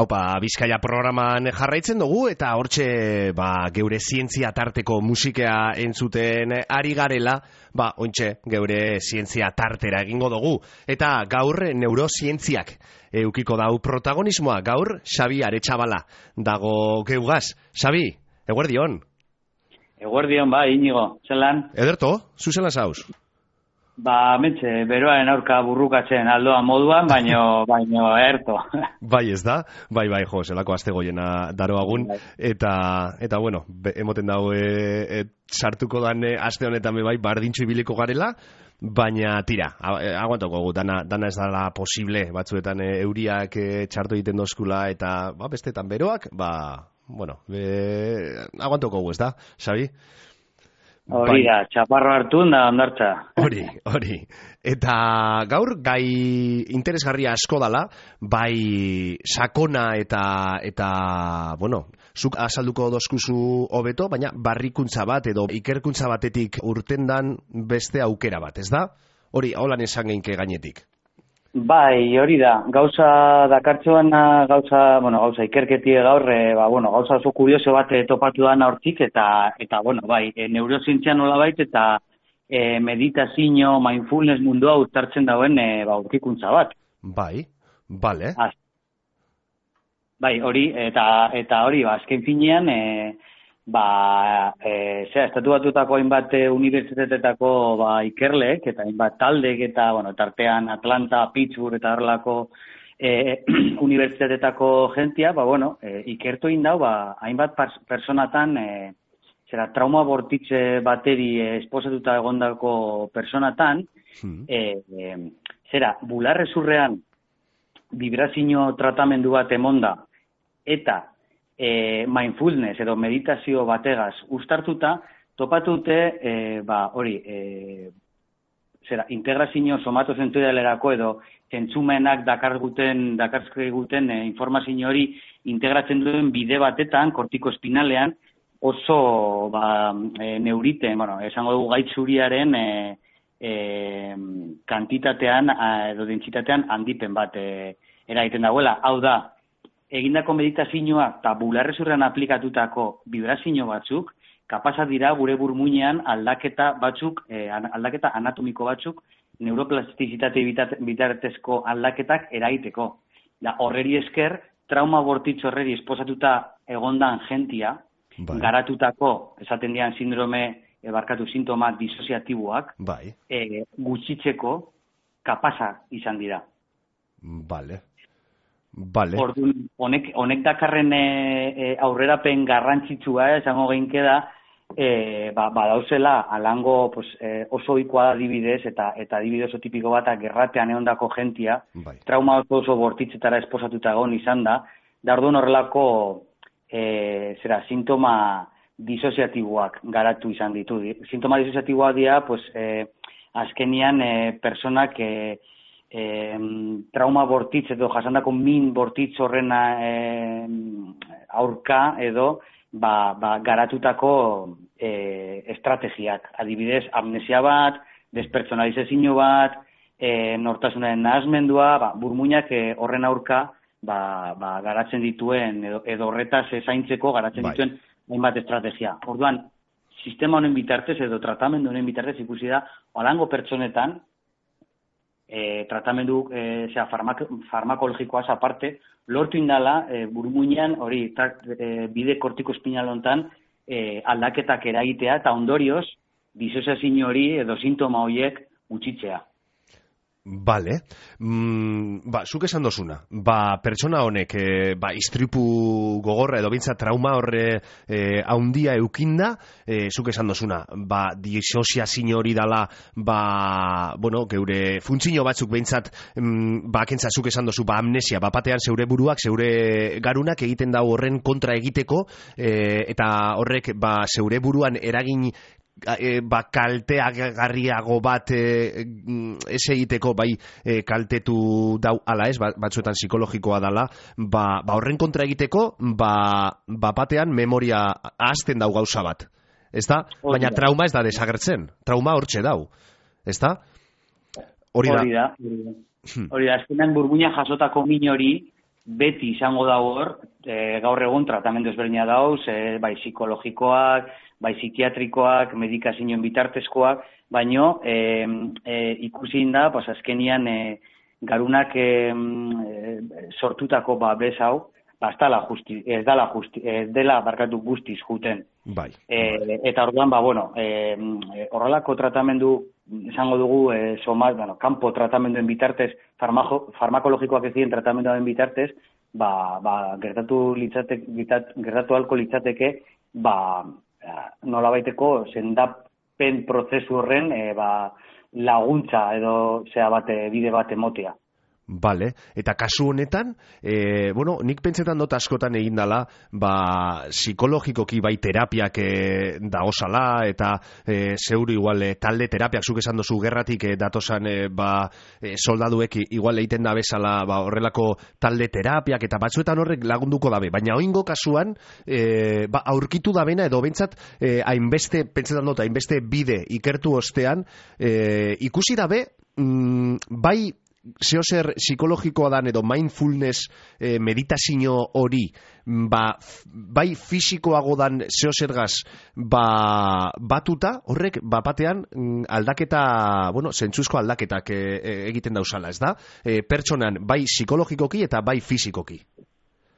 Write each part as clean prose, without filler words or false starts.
Aupa Bizkaia programan jarraitzen dugu eta hortxe geure zientzia tarteko musikea entzuten ari garela, ointxe geure zientzia tartera egingo dugu. Eta gaur neurozientziak eukiko dau protagonismoa, gaur Xabi Aretxabala dago geugaz. Xabi, eguerdion. Eguerdion, Inigo, zelan? Ederto, zuzelan zauz? Mentxe, beroaren aurka burrukatzen aldoa moduan, baino erto. Bai, ez da? Bai, jo, zelako aste goiena daroagun. Eta bueno, emoten dago sartuko dan aste honetan bardintxo ibiliko garela, baina tira, aguantoko gu, dana ez dala posible, batzuetan euriak txarto egiten dozkula, eta bestetan beroak, bueno, aguantoko gu, ez da, Xabi? Hori da, txaparro hartu da ondartza. Hori. Eta gaur gai interesgarria asko dala, bai sakona eta bueno, zuk azalduko dozkuzu hobeto, baina barrikuntza bat edo ikerkuntza batetik urtendan beste aukera bat, ez da? Hori, holan esan geinke gainetik. Bai, hori da. Gauza dakartzuan, gauza ikerketie gaur, gauza oso kurioso bat topatu da hortik eta neurozientzia nolabait eta meditazio, mindfulness mundua uztartzen dauen aurkikuntza bat. Bai, bale. Bai, hori, eta hori, azken finean, estatu batutako hainbat unibertsitateetako ikerleek eta hainbat taldek eta tartean Atlanta, Pittsburgh eta horrelako unibertsitateetako jentia, ikertu egin dau hainbat personatan trauma bortitze bateri esposatuta egondako personatan bularrezurrean vibrazio tratamendu bat emonda eta mindfulness edo meditazio bategaz uztartuta, topatute integrazio somatozentorialerako edo entzumenak dakarzkiguten informazio hori integratzen duen bide batetan, kortikoespinalean, oso neuriten, esango dugu gaitzuriaren kantitatean edo dentsitatean handipen bat eragiten dagoela. Hau da, egindako meditazioa eta bularrezurrean aplikatutako vibrazio batzuk, kapazak dira gure burmuinean aldaketa anatomiko batzuk, neuroplastizitate bitartezko aldaketak eragiteko. Horreri esker, trauma bortitz horreri esposatuta egondan jentia, garatutako, esaten dian sintoma disoziatiboak, gutxitzeko kapazak izan dira. Orduan, honek dakarren aurrerapen garrantzitsua, esango geinke da, badauzela alango oso ohikoa adibidez eta adibide oso tipiko bat gerratean egondako jentia, trauma oso bortitzetara esposatuta egon izan da orduan horrelako sintoma disoziatiboak garatu izan ditu. Sintoma disoziatiboak dira, azkenian personak trauma bortitz edo jasandako min bortitz horren aurka edo garatutako estrategiak. Adibidez, amnesia bat, despertsonalizazio bat, nortasunaren nahasmendua, burmuinak horren aurka garatzen dituen edo horretaz zaintzeko garatzen dituen hainbat estrategia. Orduan, sistema honen bitartez edo tratamendu honen bitartez ikusi da, olango pertsonetan, tratamendu farmakologikoaz aparte, lortu indala burmuinean hori bide kortikoespinal hontan aldaketak eragitea eta ondorioz disoziazio hori edo sintoma horiek gutxitzea. Bale, zuk esan dozuna, pertsona honek istripu gogorra edo bintza trauma horre haundia eukinda, zuk esan dozuna, disoziazio hori dala, geure funtzio batzuk behintzat, kentza zuk esan dozu, amnesia, batean zeure buruak, zeure garunak egiten dau horren kontra egiteko, eta horrek zeure buruan eragin kalteagarriago bat ez egiteko kaltetu dau ala ez, batzuetan psikologikoa dala, horren kontra egiteko batean memoria ahazten dau gauza bat, ez da? Baina trauma ez da desagertzen, trauma hortxe dau, ez da? Hori da, azkenan burbuina jasotako min hori beti izango da hor, gaur egun tratamendu ezberdina dauz, bai psikologikoak, bai psikiatrikoak, medikazioen bitartezkoak, baino ikusi da, pues azkenian garunak sortutako babes hau, ez dela barkatu guztiz juten. Bai. Eta orduan, horrelako tratamendu, esango dugu, kanpo tratamenduen bitartez, farmakologikoak ez diren tratamenduen bitartez, gertatu ahalko litzateke, nolabaiteko sendapen prozesu horren laguntza edo bide bat emotea. Bale, eta kasu honetan, nik pentsetan dut askotan egin dela, psikologikoki bai terapiak dagozala, eta zeuri igual talde terapiak, zuk esan dozu gerratik datosan soldaduek igual egiten da bezala horrelako talde terapiak, eta batzuetan horrek lagunduko dabe, baina oingo kasuan, aurkitu dabena, edo bentsat, hainbeste, pentsetan dut, hainbeste bide ikertu ostean, ikusi dabe, bai, zeozer psikologikoa dan edo mindfulness meditazio hori bai fisikoago dan zeozergaz batuta horrek batean aldaketa, zentzuzko aldaketak egiten dauzala, ez da? Pertsonan bai psikologikoki eta bai fisikoki.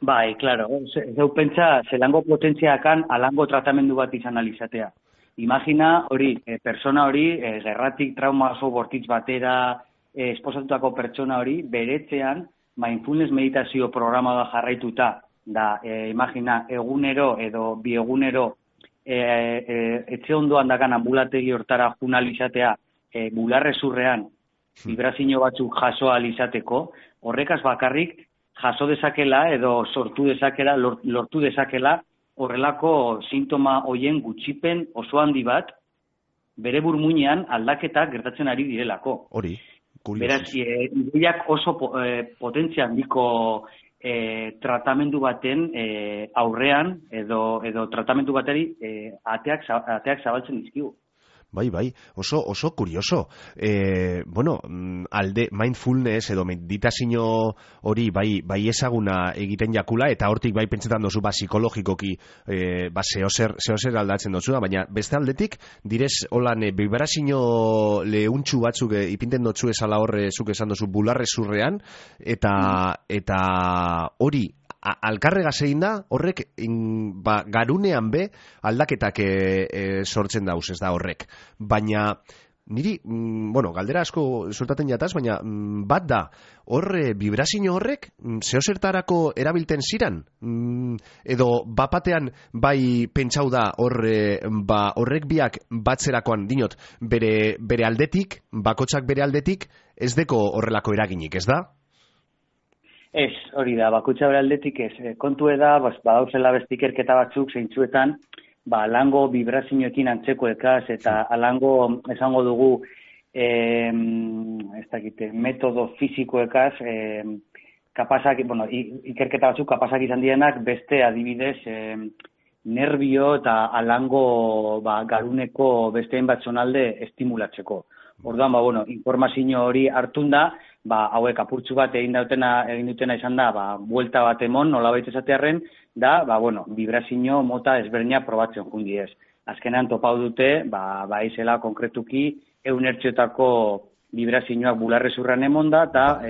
Bai, klaro, zeu pentsa zelango potentziakan alango tratamendu bat izan alizatea. Imagina hori, persona hori, gerratik trauma oso bortitz batera esposatutako pertsona hori, beretzean mindfulness meditazio programa da jarraituta, imagina, egunero edo biegunero etxe ondoan dakan ambulategi hortara junalizatea, bularrezurrean vibrazio batzuk jaso alizateko, horrekaz bakarrik jaso dezakela edo lortu dezakela horrelako sintoma hoien gutxipen oso handi bat, bere burmuinean aldaketak gertatzen ari direlako. Hori. Beraz, ideiak oso potentzia handiko tratamendu baten aurrean edo tratamendu bateri ateak zabaltzen dizkigu. Bai, oso kurioso. Alde mindfulness edo meditazio hori bai ezaguna egiten jakula, eta hortik bai pentsetan dozu psikologikoki zeozer aldatzen dozu, baina beste aldetik, direz holan vibrazio lehuntxu batzuk ipinten dotzu esala horre zuk esan dozu bularrezurrean, eta hori alkarregaz egin da, horrek garunean be aldaketak sortzen dauz, ez da horrek. Baina niri, galdera asko suertaten jataz, baina bat da, horre vibrazio horrek zeozertarako erabilten ziran? Edo bapatean bai pentsau da horrek biak batzerakoan, dinot, bere aldetik, bakotsak bere aldetik, ez deko horrelako eraginik, ez da? Ez, hori da, bakutsa bere aldetik ez. Kontu da, badauzela beste ikerketa batzuk zeintzuetan, alango vibrazioekin antzekoekaz eta alango esango dugu metodo fisikoekaz ikerketa batzuk kapazak izan dienak beste adibidez nervio eta alango garuneko beste hainbat zonalde estimulatzeko. Orduan, informazio hori hartun da, hauek apurtzu bat egin dutena izan da, buelta bat emon, nolabait esatearren, vibrazio mota ezberdina probatzen jundiez. Azkenean topau dute, izela konkretuki, eunertxotako vibrazioak bularrezurran emon da, eta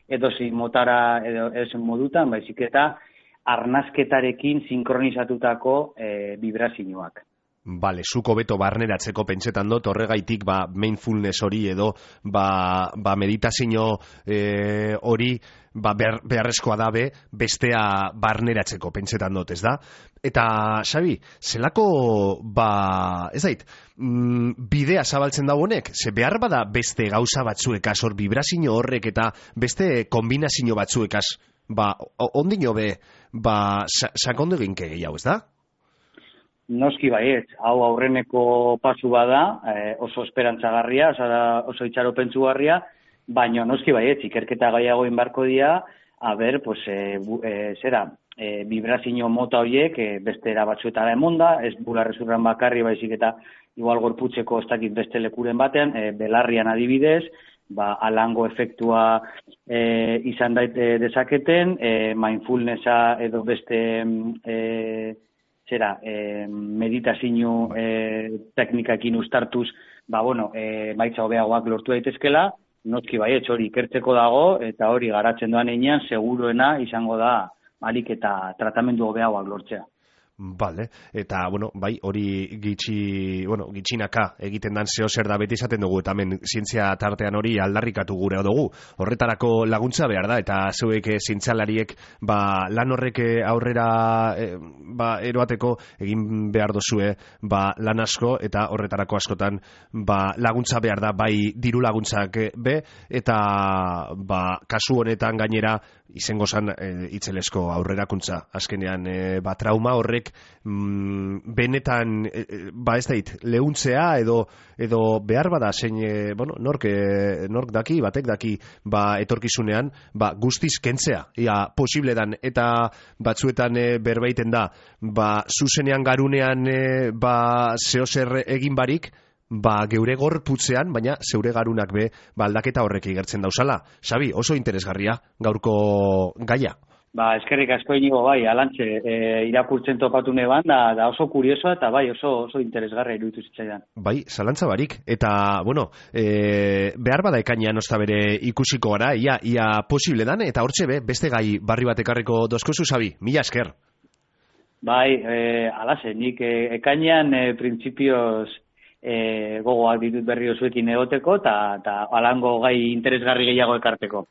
edozi motara edozen modutan, baizik eta arnazketarekin sinkronizatutako vibrazioak. Bale, zuko beto barneratzeko pentsetan dut, horregaitik mindfulness hori edo meditazio hori beharrezkoa dabe bestea barneratzeko pentsetan dut, ez da? Eta, Xabi, zelako, ez dait, bidea zabaltzen da honek? Ze behar bada beste gauza batzuekaz, hor vibrazio horrek eta beste kombinazio batzuekaz, ondino be, sakondo eginke gehiago, ez da? Noski baiet, hau aurreneko pasu bada, oso esperantzagarria, oso itxaropentsugarria, baina noski baiet, ikerketa gaiago inbarko dira, vibrazio mota horiek beste batzuetara emonda, ez bularrezurran bakarri baizik eta igual gorputzeko ez dakit beste lekuren batean, belarrian adibidez, alango efektua izan dezaketen, mindfulnessa edo beste meditazio teknikakin uztartuz, maitza hobeagoak lortu daitezkela, notki baietz hori ikertzeko dago, eta hori garatzen doan einean, seguruena izango da alik eta tratamendu hobeagoak lortzea. Vale, eta, hori gitxinaka egiten dan zeo zer da beti izaten dugu, eta hemen zientzia tartean hori aldarrikatu gure dugu. Horretarako laguntza behar da, eta zeuek zientzialariek lan horrek aurrera eroateko egin behar dozue lan asko, eta horretarako askotan laguntza behar da, bai diru laguntzak be, eta kasu honetan gainera izango zan itzelesko aurrerakuntza. Azkenean, trauma horrek benetan ez dait lehuntzea edo behar bada zein nork daki, batek daki etorkizunean guztiz kentzea, posible dan, eta batzuetan berbaiten da zuzenean garunean zeo zer egin barik, geure gorputzean, baina zeure garunak be aldaketa horrek igertzen dauzala. Xabi, oso interesgarria gaurko gaia. Eskerrik asko inigo, alantxe, irakurtzen topatu neban, da oso kuriosoa eta oso interesgarra iruditu zitzaidan. Zalantza barik, eta, behar bada ekainean osta bere ikusiko gara, ia posible dan, eta hortxe beste gai barri bat ekarriko dozkozu, Xabi, mila esker. Alase, nik ekainean printzipioz gogoak ditut berri osuekin egoteko, eta alango gai interesgarri gehiago ekarteko.